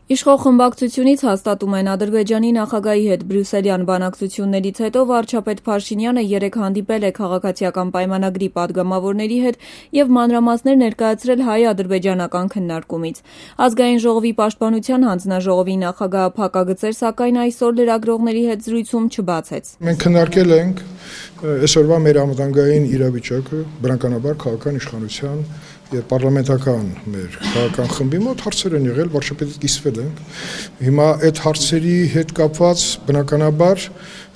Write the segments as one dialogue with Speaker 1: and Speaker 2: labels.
Speaker 1: Իշխող խմբակցությունից հաստատում են Ադրբեջանի նախագահի հետ բրյուսելյան բանակցություններից հետո վարչապետ Փաշինյանը երեկ հանդիպել է քաղաքացիական պայմանագրի падգամավորների հետ և մանրամասներ ներկայացրել հայ-ադրբեջանական քննարկումից։ Ազգային ժողովի պաշտպանության հանձնաժողովի նախագահը փակագծեր, սակայն այսօր լրագրողների հետ զրույցում չբացեց։
Speaker 2: Մենք քննարկել ենք այսօրվա մեր անվտանգային իրավիճակը, բնականաբար քաղաքական իշխանության եւ պարլամենտական մեր քաղաքական խմբի մոտ հարցեր են եղել, վարչապետից կիսվել ենք։ Հիմա այդ հարցերի հետ կապված բնականաբար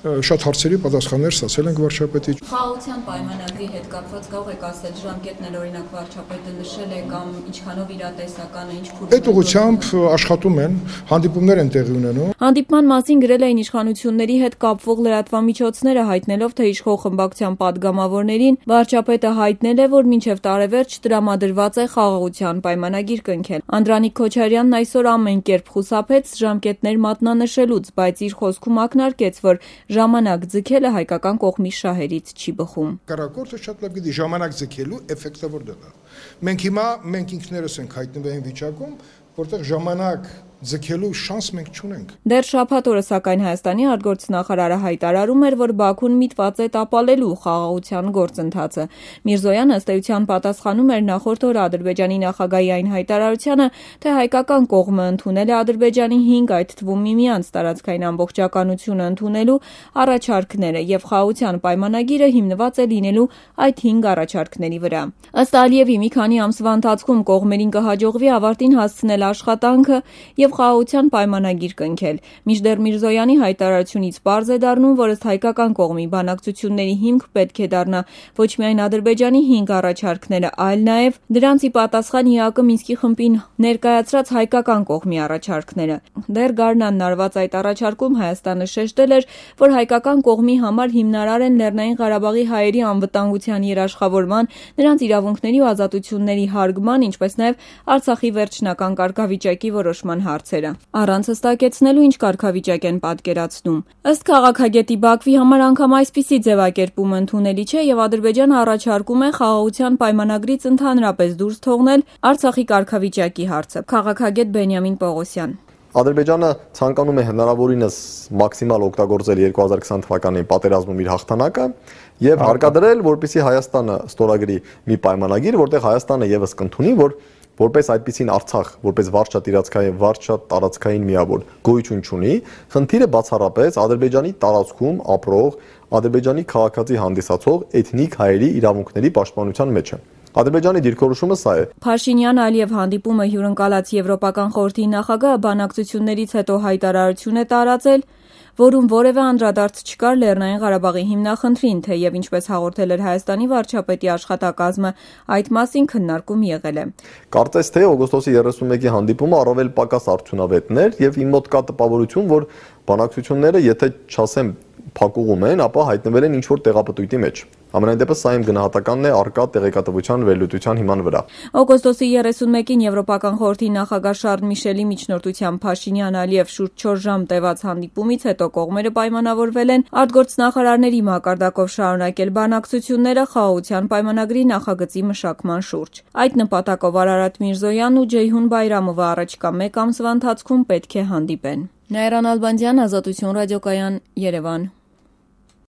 Speaker 2: շատ հարցերի պատասխաններ ստացել ենք վարչապետից։
Speaker 1: Խաղաղության պայմանագրի հետ կապված կարող եք ասել ժամկետներ, օրինակ վարչապետը նշել է կամ ինչքանով իրատեսական է, ինչ փուլ։
Speaker 2: Այդ ուղղությամբ աշխատում են, հանդիպումներ են տեղի ունենում։
Speaker 1: Հանդիպման մասին գրել էին իշխանությունների հետ կապվող լրատվամիջոցները, հայտնելով, թե իշխող խմբակցության падգամավորներին վարչապետը հայտնել է, որ մինչև տարեվերջ տրամադրված է խաղաղության պայմանագիր կնքել։ Անդրանիկ Քոչարյանն այսօր ամեն կերպ խուսափեց ժամկետներ մատնանշելուց, բայց իր խոսքում ակնարկեց, որ ժամանակ ձգելը հայկական կողմի շահերից չի բխում։
Speaker 2: Կառակորդը շատ լավ գիտի ժամանակ ձգելու էֆեկտը որտեղ է։ Մենք ինքներս ենք հայտնվել այն վիճակում, որտեղ ժամանակ ձգելու շանս մենք չունենք։
Speaker 1: Դեռ շաբաթ օրը սակայն Հայաստանի արտգործնախարարը հայտարարում էր, որ Բաքուն միտված է տապալելու խաղաղության գործընթացը։ Միրզոյանը ըստ էության պատասխանում էր նախորդ օր Ադրբեջանի նախագահի այն հայտարարությանը, թե հայկական կողմը ընդունել է Ադրբեջանի 5, այդ թվում միմյանց տարածքային ամբողջականությունը ընդունելու առաջարկները եւ խաղաղության պայմանագիրը հիմնված է լինելու այդ 5 առաջարկների վրա։ Ըստ Ալիևի մի քանի ամսվա ընթացքում կողմերին կհաջողվի ավարտին հասցնել աշխատանքը եւ խաղաղության պայմանագիր կնքել։ Մինչդեռ Միրզոյանի հայտարարությունից պարզ է դառնում, որ ըստ հայկական կողմի բանակցությունների հիմք պետք է դառնա ոչ միայն Ադրբեջանի 5 առաջարկները, այլ նաեւ դրանց ի պատասխան ՀԱԿ Մինսկի խմբին ներկայացրած հայկական կողմի առաջարկները։ Դեռ գարնանն արված այդ առաջարկում Հայաստանը շեշտել էր, որ հայկական կողմի համար հիմնարար են Լեռնային Ղարաբաղի հայերի անվտանգության երաշխավորման, նրանց իրավունքների ու ազատությունների հարգման, ինչպես նաեւ Արցախի վերջնական կարգավիճակի որոշման հարցերը։ Առանց հստակեցնելու ինչ կարգավիճակ են պատկերացնում։ Ըստ քաղաքագետի Բաքվի համար անգամ այսպիսի ձևակերպումը ընդունելի չէ եւ Ադրբեջանը առաջարկում է խաղաղության պայմանագրից ընդհանրապես դուրս թողնել Արցախի կարգավիճակի հարցը։ Քաղաքագետ Բենյամին Պողոսյան։
Speaker 3: Ադրբեջանը ցանկանում է հնարավորինս մաքսիմալ օգտագործել 2020 թվականի պատերազմում իր հաղթանակը եւ հարկադրել, որպեսզի Հայաստանը ստորագրի մի պայմանագիր, որտեղ Հայաստանը եւս կընդունի, որ որպես այդպիսին Արցախ, որպես վարչատ տարածքային միավոր գոյություն չունի, խնդիրը բացառապես Ադրբեջանի տարածքում ապրող, Ադրբեջանի քաղաքացի հանդիսացող էթնիկ հայերի իրավունքների պաշտպանության մեջ է։ Ադրբեջանի դիրքորոշումը սա է։
Speaker 1: Փաշինյան-Ալիև հանդիպումը հյուրընկալած Եվրոպական խորհրդի նախագահը բանակցություններից հետո հայտարարություն է տարածել, որում որևէ անդրադարձ չկար Լեռնային Ղարաբաղի հիմնախնդրին, թեև ինչպես հաղորդել էր Հայաստանի վարչապետի աշխատակազմը, այդ մասին քննարկում եղել է։
Speaker 3: Կարծես թե օգոստոսի 31-ի հանդիպումը առավել պակաս արդյունավետն էր եւ իմ մոտ կա տպավորություն, որ բանակցությունները, եթե չասեմ փակուղում են, ապա հայտնվել են ինչ-որ տեղապտույտի մեջ։ Ամենայն դեպս սա իմ գնահատականն է առկա տեղեկատվության վերլուծության հիման վրա։
Speaker 1: Օգոստոսի 31-ին Եվրոպական խորհրդի նախագահ Շարլ Միշելի միջնորդությամբ Փաշինյան-Ալիև շուրջ 4 ժամ տևած հանդիպումից հետո կողմերը պայմանավորվել են արտգործնախարարների մակարդակով շարունակել բանակցությունները խաղաղության պայմանագրի նախագծի մշակման շուրջ։ Այդ նպատակով Արարատ Միրզոյանն ու Ջեյհուն Բայրամովը առաջիկա 1 ամսվա ընթացքում պետք է հանդիպեն։ Նայիրան Ալբանդյան, Ազատություն ռադիոկայան, Երևան։